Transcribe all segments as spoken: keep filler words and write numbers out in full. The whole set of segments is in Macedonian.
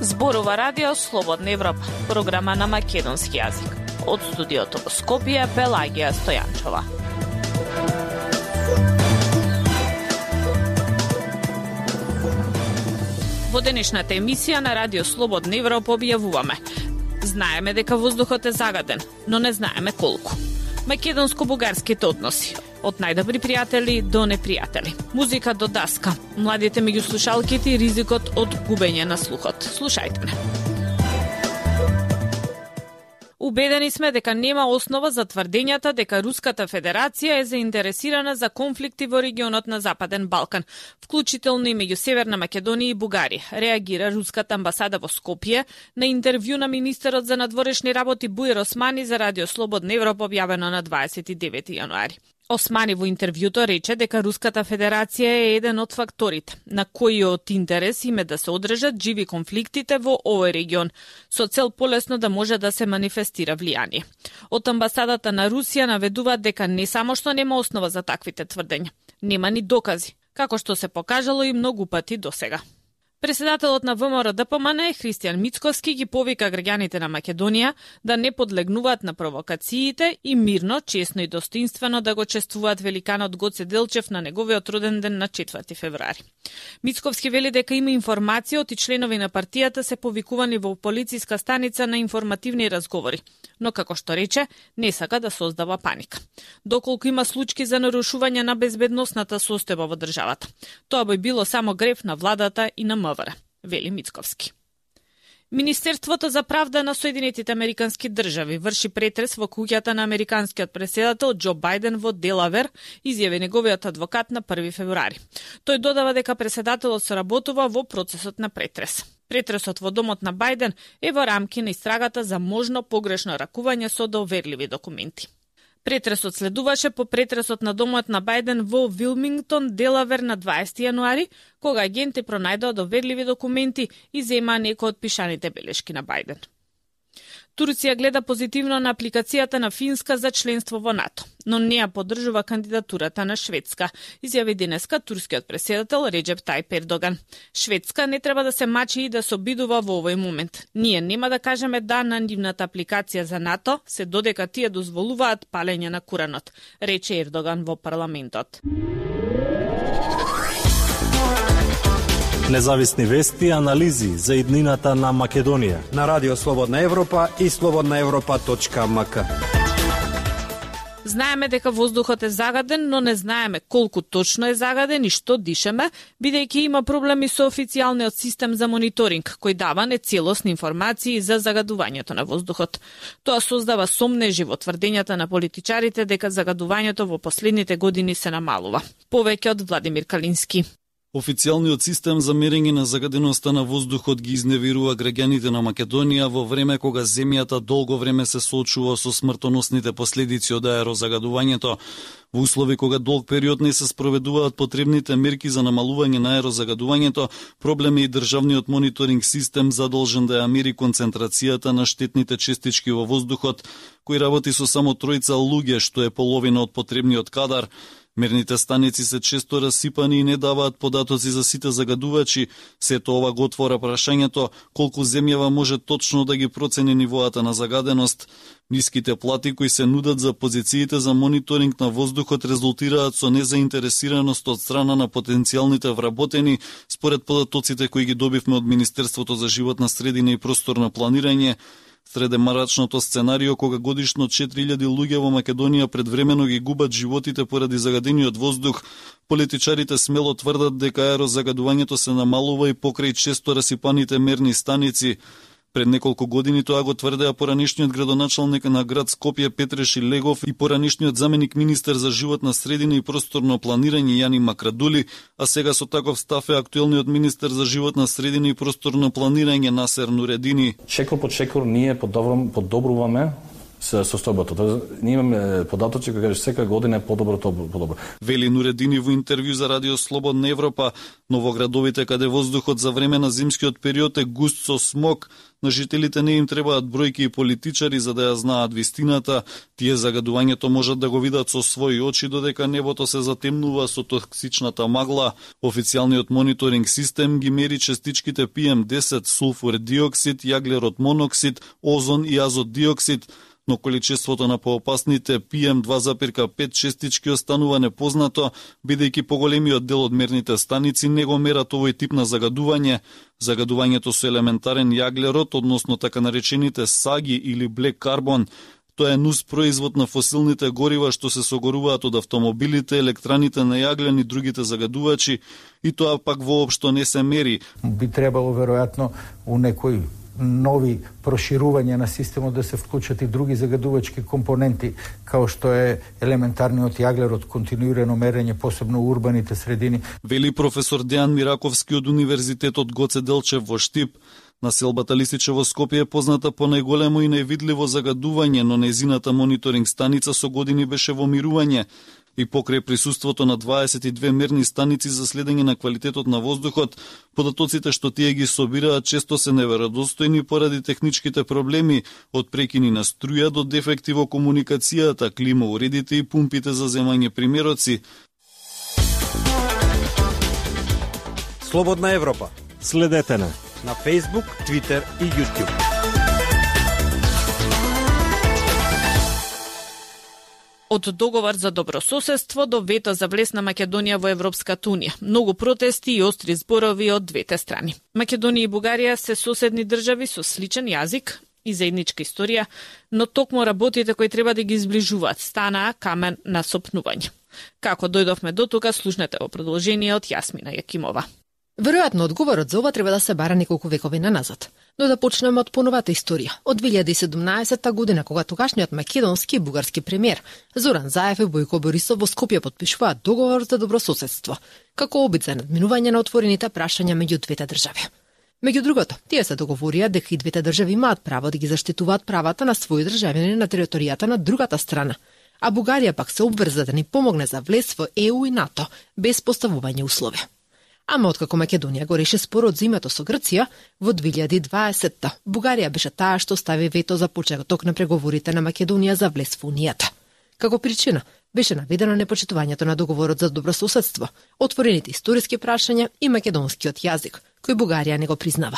Зборува Радио Слободна Европа, програма на македонски јазик. Од студиото во Скопје, Пелагија Стојанчова. Во денешната емисија на Радио Слободна Европа објавуваме: знаеме дека воздухот е загаден, но не знаеме колку. Македонско-бугарските односи, од најдобри пријатели до непријатели. Музика до даска, младите меѓу слушалките и ризикот од губење на слухот. Слушајте ме. Убедени сме дека нема основа за тврдењата дека Руската Федерација е заинтересирана за конфликти во регионот на Западен Балкан, вклучително и меѓу Северна Македонија и Бугарија, реагира Руската амбасада во Скопје на интервју на министерот за надворешни работи Буир Османи за Радио Слободна Европа објавено на дваесет и девети јануари. Османи во интервјуто рече дека Руската Федерација е еден од факторите на кои од интерес им е да се одржат живи конфликтите во овој регион, со цел полесно да може да се манифестира влијание. Од амбасадата на Русија наведуваат дека не само што нема основа за таквите тврдења, нема ни докази, како што се покажало и многу пати досега. Председателот на ВМРО-ДПМН Христијан Мицковски ги повика граѓаните на Македонија да не подлегнуваат на провокациите и мирно, честно и достоинствено да го чествуваат великанот Гоце Делчев на неговиот роден ден на четврти февруари. Мицковски вели дека има информација од и членови на партијата се повикувани во полициска станица на информативни разговори, но како што рече, не сака да создава паника. Доколку има случаи за нарушување на безбедносната состојба во државата, тоа би било само греф на владата и на МВР, вели Мицковски. Министерството за правда на Соединетите Американски држави врши претрес во куќата на американскиот претседател Џо Бајден во Делавер, изјави неговиот адвокат на први февруари. Тој додава дека претседателот соработува во процесот на претрес. Претресот во домот на Бајден е во рамки на истрагата за можно погрешно ракување со доверливи документи. Претресот следуваше по претресот на домот на Бајден во Вилмингтон, Делавер на дваесети јануари, кога агенти пронајдоа доверливи документи и земаа некои од пишаните белешки на Бајден. Турција гледа позитивно на апликацијата на Финска за членство во НАТО, но не ја поддржува кандидатурата на Шведска, изјави денеска турскиот претседател Реџеп Тајип Ердоган. Шведска не треба да се мачи и да се обидува во овој момент. Ние нема да кажеме да на нивната апликација за НАТО, се додека тие дозволуваат палење на Куранот, рече Ердоган во парламентот. Независни вести и анализи за иднината на Македонија на Радио Слободна Европа и слободна европа точка ем ка. Знаеме дека воздухот е загаден, но не знаеме колку точно е загаден и што дишеме, бидејќи има проблеми со официјалниот систем за мониторинг, кој дава нецелосни информации за загадувањето на воздухот. Тоа создава сомнежи во тврдењата на политичарите дека загадувањето во последните години се намалува. Повеќе од Владимир Калински. Официјалниот систем за мерење на загаденоста на воздухот ги изневерува граѓаните на Македонија во време кога земјата долго време се соочува со смртоносните последици од аерозагадувањето. Во услови кога долг период не се спроведуваат потребните мерки за намалување на аерозагадувањето, проблем е и државниот мониторинг систем задолжен да ја мери концентрацијата на штетните честички во воздухот, кој работи со само тројца луѓе, што е половина од потребниот кадар. Мерните станици се често расипани и не даваат податоци за сите загадувачи. Сето ова го отвора прашањето колку земјава може точно да ги процени нивоата на загаденост. Ниските плати кои се нудат за позициите за мониторинг на воздухот резултираат со незаинтересираност од страна на потенцијалните вработени, според податоците кои ги добивме од Министерството за животна средина и просторно планирање. Средемарачното сценарио кога годишно четири илјади луѓе во Македонија предвремено ги губат животите поради загадениот воздух, политичарите смело тврдат дека аерозагадувањето се намалува и покрај често расипаните мерни станици. Пред неколку години тоа го тврдеа поранешниот градоначалник на град Скопје Петре Шилегов и поранешниот заменик министер за животна средина и просторно планирање Јани Макрадули, а сега со таков став е актуелниот министер за животна средина и просторно планирање Насер Нуредини. Шекор по шекор ние подобруваме со состојбата. Ние имаме податоци кои кажеш секоја година е подобро, тоа подобро. Вели Нуредини во интервју за Радио Слободна Европа, но во градовите каде воздухот за време на зимскиот период е густ со смог, на жителите не им требаат бројки и политичари за да ја знаат вистината. Тие загадувањето можат да го видат со своји очи додека небото се затемнува со токсичната магла. Официјалниот мониторинг систем ги мери частичките пи ем десет, сулфур диоксид, јаглерод моноксид, озон и азот диоксид, но количеството на поопасните пи ем два запирка пет честички останува непознато, бидејќи поголемиот дел од мерните станици не го мерат овој тип на загадување. Загадувањето со елементарен јаглерод, односно така наречените саги или блек карбон, тоа е нус производ на фосилните горива што се согоруваат од автомобилите, електраните на јаглен и другите загадувачи, и тоа пак воопшто не се мери. Би требало веројатно у некој нови проширување на системот да се вклучат и други загадувачки компоненти, као што е елементарниот јаглерод, континуирано мерење, посебно у урбаните средини. Вели професор Дејан Мираковски од Универзитетот Гоце Делчев во Штип. Населбата Лисиче во Скопје е позната по најголемо и највидливо загадување, но нејзината мониторинг станица со години беше во мирување. И покрај присуството на дваесет и две мерни станици за следење на квалитетот на воздухот, податоците што тие ги собираат често се неверодостојни поради техничките проблеми, од прекини на струја до дефекти во комуникацијата, климауредите и пумпите за земање примероци. Слободна Европа. Следете на на Facebook, Twitter и YouTube. Од договор за добрососедство до вето за влез на Македонија во Европската унија. Многу протести и остри зборови од двете страни. Македонија и Бугарија се соседни држави со сличен јазик и заедничка историја, но токму работите кои треба да ги зближуваат станаа камен на сопнување. Како дојдовме до тука, слушнете во продолжение од Јасмина Јакимова. Веројатно одговорот за ова треба да се бара неколку векови наназад. Но да почнеме од поновата историја. Од две илјади и седумнаесетта година, кога тогашниот македонски и бугарски премиер Зоран Заев и Бојко Борисов во Скопје потпишуваат договор за добрососедство, како обид за надминување на отворените прашања меѓу двете држави. Меѓу другото, тие се договорија дека и двете држави имаат право да ги заштитуваат правата на своји државјани на територијата на другата страна, а Бугарија пак се обврза да ни помогне за влез во Е У и НАТО без поставување услови. Ама откако Македонија го реши спорот за името со Грција, во две илјади и дваесетта Бугарија беше таа што стави вето за почеток на преговорите на Македонија за влез во Унијата. Како причина беше наведено непочитувањето на договорот за добрососедство, отворените историски прашања и македонскиот јазик, кој Бугарија не го признава.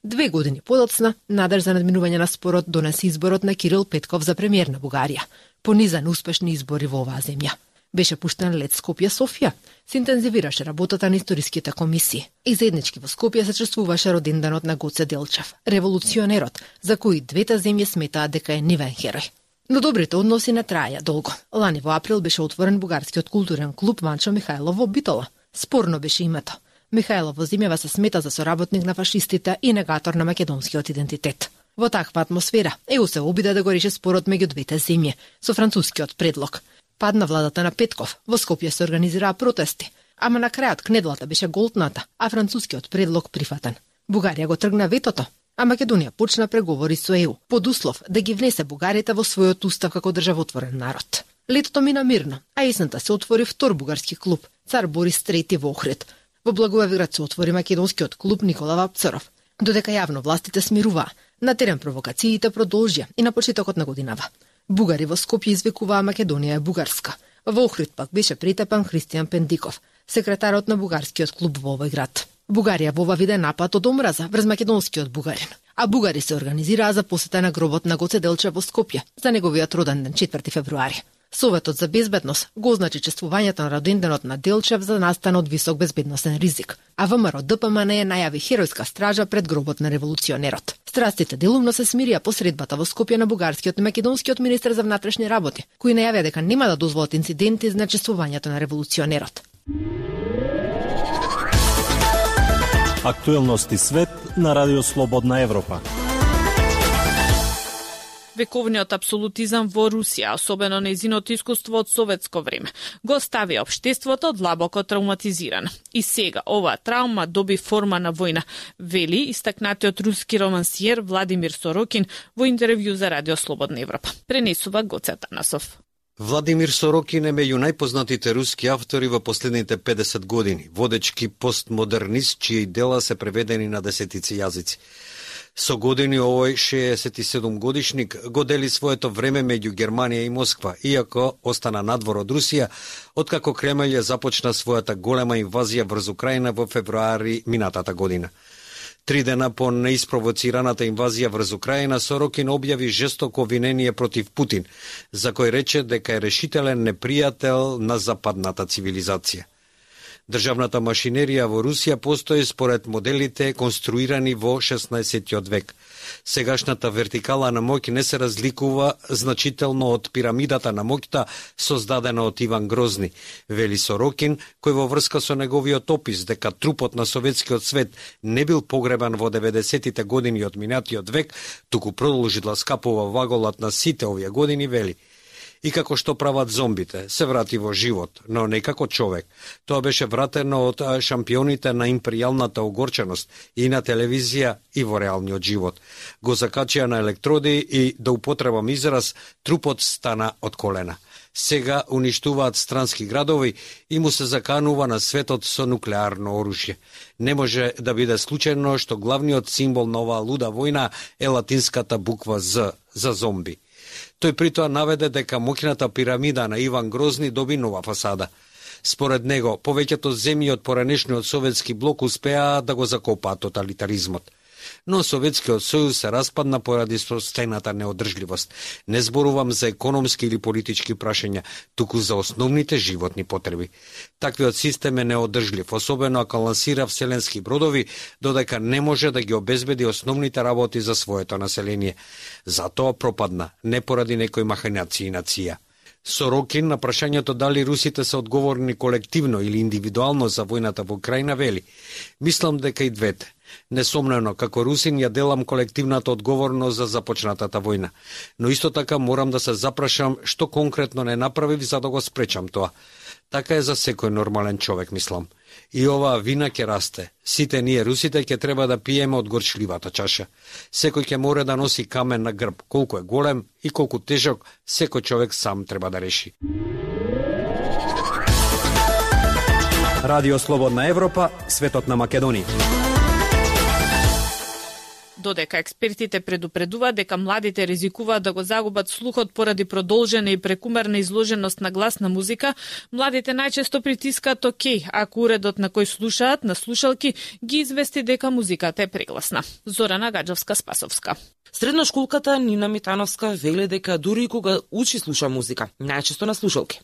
Две години подоцна, надеж за надминување на спорот донесе изборот на Кирил Петков за премиер на Бугарија, понизан успешни избори во оваа земја. Беше пуштен лет Скопје-Софија, се интензивираше работата на историските комисии. И заеднички во Скопје се чествуваше роденденот на Гоце Делчев, револуционерот, за кој двете земји сметаат дека е нивен херој. Но добрите односи не траја долго. Лани во април беше отворен бугарскиот културен клуб Ванчо Михајлов во Битола. Спорно беше името. Михајлов во земјава се смета за соработник на фашистите и негатор на македонскиот идентитет. Во таква атмосфера Е У се обида да го реши спорот меѓу двете земји со францускиот предлог. Падна владата на Петков, во Скопје се организираа протести, ама на крајот кнедлата беше голтната, а францускиот предлог прифатен. Бугарија го тргна ветото, а Македонија почна преговори со Е У, под услов да ги внесе бугарите во својот устав како државотворен народ. Летото мина мирно, а есента се отвори втор бугарски клуб, Цар Борис трети во Охрид. Во Благоевград се отвори македонскиот клуб Никола Вапцаров. Додека јавно властите смируваа, на терен провокациите продолжија и на почетокот на годинава. Бугари во Скопје извикуваа Македонија е бугарска. Во Охрид пак беше притепан Христијан Пендиков, секретарот на бугарскиот клуб во овој град. Бугарија во ова виде напад од омраза врз македонскиот бугарин, а бугари се организираа за посета на гробот на Гоце Делчев во Скопје за неговиот роден ден четврти февруари. Советот за безбедност го означи чествувањето на роденденот на Делчев за настан од висок безбедносен ризик, а ВМРО Д П М Н најави херојска стража пред гробот на револуционерот. Страстите делумно се смирија по средбата во Скопје на бугарскиот и македонскиот министер за внатрешни работи, кои најавија дека нема да дозволат инциденти за чествувањето на револуционерот. Актуелности свет на Радио Слободна Европа. Вековниот апсолутизам во Русија, особено нејзиното искуство од советско време, го стави општеството длабоко травматизирано. И сега оваа травма доби форма на војна, вели истакнатиот руски романсиер Владимир Сорокин во интервју за Радио Слободна Европа. Пренесува Гоце Танасов. Владимир Сорокин е меѓу најпознатите руски автори во последните педесет години, водечки постмодернист чии дела се преведени на десетици јазици. Со години овој шеесет и седум годишник го дели своето време меѓу Германија и Москва, иако остана надвор од Русија, откако Кремљ ја започна својата голема инвазија врз Украина во февруари минатата година. Три дена по неиспровоцираната инвазија врз Украина, Сорокин објави жестоко обвинение против Путин, за кој рече дека е решителен непријател на западната цивилизација. Државната машинерија во Русија постои според моделите конструирани во шеснаесеттиот век. Сегашната вертикала на моќ не се разликува значително од пирамидата на моќта создадена од Иван Грозни, вели Сорокин, кој во врска со неговиот опис дека трупот на советскиот свет не бил погребан во деветдесетите години од минатиот век, туку продолжи да скапува ваголат на сите овие години, вели: и како што прават зомбите, се врати во живот, но не како човек. Тоа беше вратено од шампионите на империјалната огорченост и на телевизија и во реалниот живот. Го закачија на електроди и, да употребам израз, трупот стана од колена. Сега уништуваат странски градови и му се заканува на светот со нуклеарно оружје. Не може да биде случајно што главниот символ на оваа луда војна е латинската буква З за зомби. Тој притоа наведе дека моќната пирамида на Иван Грозни доби нова фасада. Според него, повеќето земји од поранешниот советски блок успеа да го закопаат тоталитаризмот. Но Советскиот сојуз се распадна поради состојната неодржливост. Не зборувам за економски или политички прашања, туку за основните животни потреби. Таквиот систем е неодржлив, особено ако лансира вселенски бродови, додека не може да ги обезбеди основните работи за своето население. Затоа пропадна, не поради некои махинации на ција. Сорокин на прашањето дали русите се одговорни колективно или индивидуално за војната во Украина вели: мислам дека и двете. Несомнено, како русин ја делам колективната одговорност за започнатата војна, но исто така морам да се запрашам што конкретно не направив за да го спречам тоа. Така е за секој нормален човек, мислам. И оваа вина ќе расте. Сите ние русите ќе треба да пиеме од горчливата чаша. Секој ќе мора да носи камен на грб, колку е голем и колку тежок, секој човек сам треба да реши. Радио Слободна Европа, светот на Македонија. Додека експертите предупредуваат дека младите ризикуваат да го загубат слухот поради продолжена и прекумерна изложеност на гласна музика, младите најчесто притискаат окей, ако уредот на кој слушаат на слушалки ги извести дека музиката е прегласна. Зорана Гаджовска-Спасовска. Средношколката Нина Митановска вели дека дури и кога учи слуша музика, најчесто на слушалки.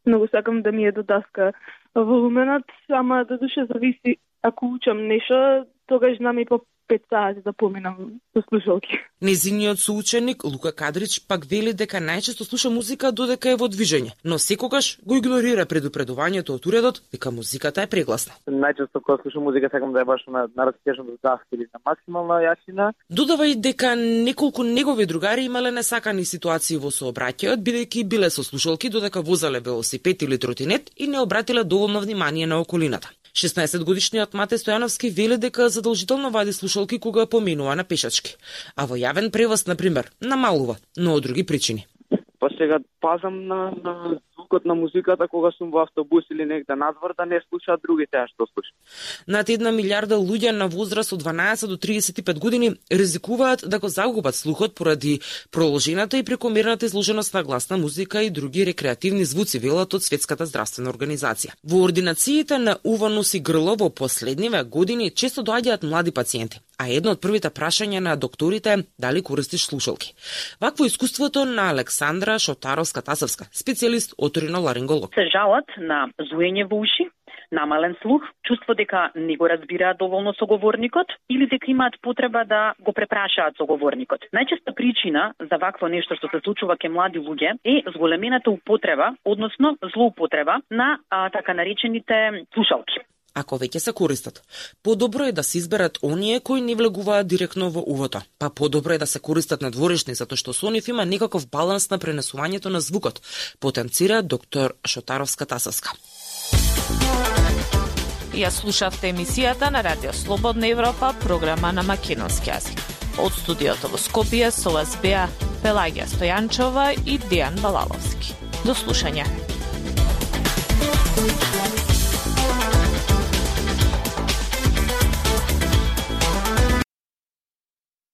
Многу сакам да ми е до даска волуменот, ама да душе зависи, ако учам нешто, тогаш знам и по пет сати да поминам со слушалки. Незиниот соученик Лука Кадрич пак вели дека најчесто слуша музика додека е во движење, но секогаш го игнорира предупредувањето од уредот дека музиката е прегласна. Најчесто кога слушам музика сакам да ја баш на на растежно даска или на максимална јасина. Додава и дека неколку негови другари имале несакани ситуации во сообраќајот, бидејќи биле со слушалки додека возеле велосипед или тротинет и не обратиле доволно внимание на околината. шеснаесетгодишниот Мате Стојановски вели дека задолжително вади слушалки кога поминува на пешачки, а во јавен превоз, например, намалува, но од други причини. Па сега пазам на, на звукот на музиката кога сум во автобус или негде надвор да не слушаат другите што слушаат. Над една милиарда луѓе на возраст од дванаесет до триесет и пет години ризикуваат да го загубат слухот поради продолжената и прекомерната изложеност на гласна музика и други рекреативни звуци, велат од Светската здравствена организација. Во ординациите на ува нос и грло во последниве години често доаѓаат млади пациенти, а едно од првите прашања на докторите е дали користиш слушалки. Вакво искуството на Александра Шотаровска-Тасовска, специјалист оториноларинголог. Се жалат на зуење во уши, намален слух, чувство дека не го разбираат доволно соговорникот или дека имаат потреба да го препрашаат соговорникот. Најчеста причина за вакво нешто што се случува кај млади луѓе е зголемената употреба, односно злоупотреба на а, така наречените слушалки. ако веќе се користат. Подобро е да се изберат оние кои не влегуваат директно во увото. Па подобро е да се користат надворешни, затоа што со нив има некаков баланс на пренесувањето на звукот, потенцира доктор Шотаровска-Тасовска. Ја слушавте емисијата на Радио Слободна Европа, програма на македонски јазик. Од студиото во Скопје со вас беа Пелагија Стојанчова и Дејан Балаловски. До слушање.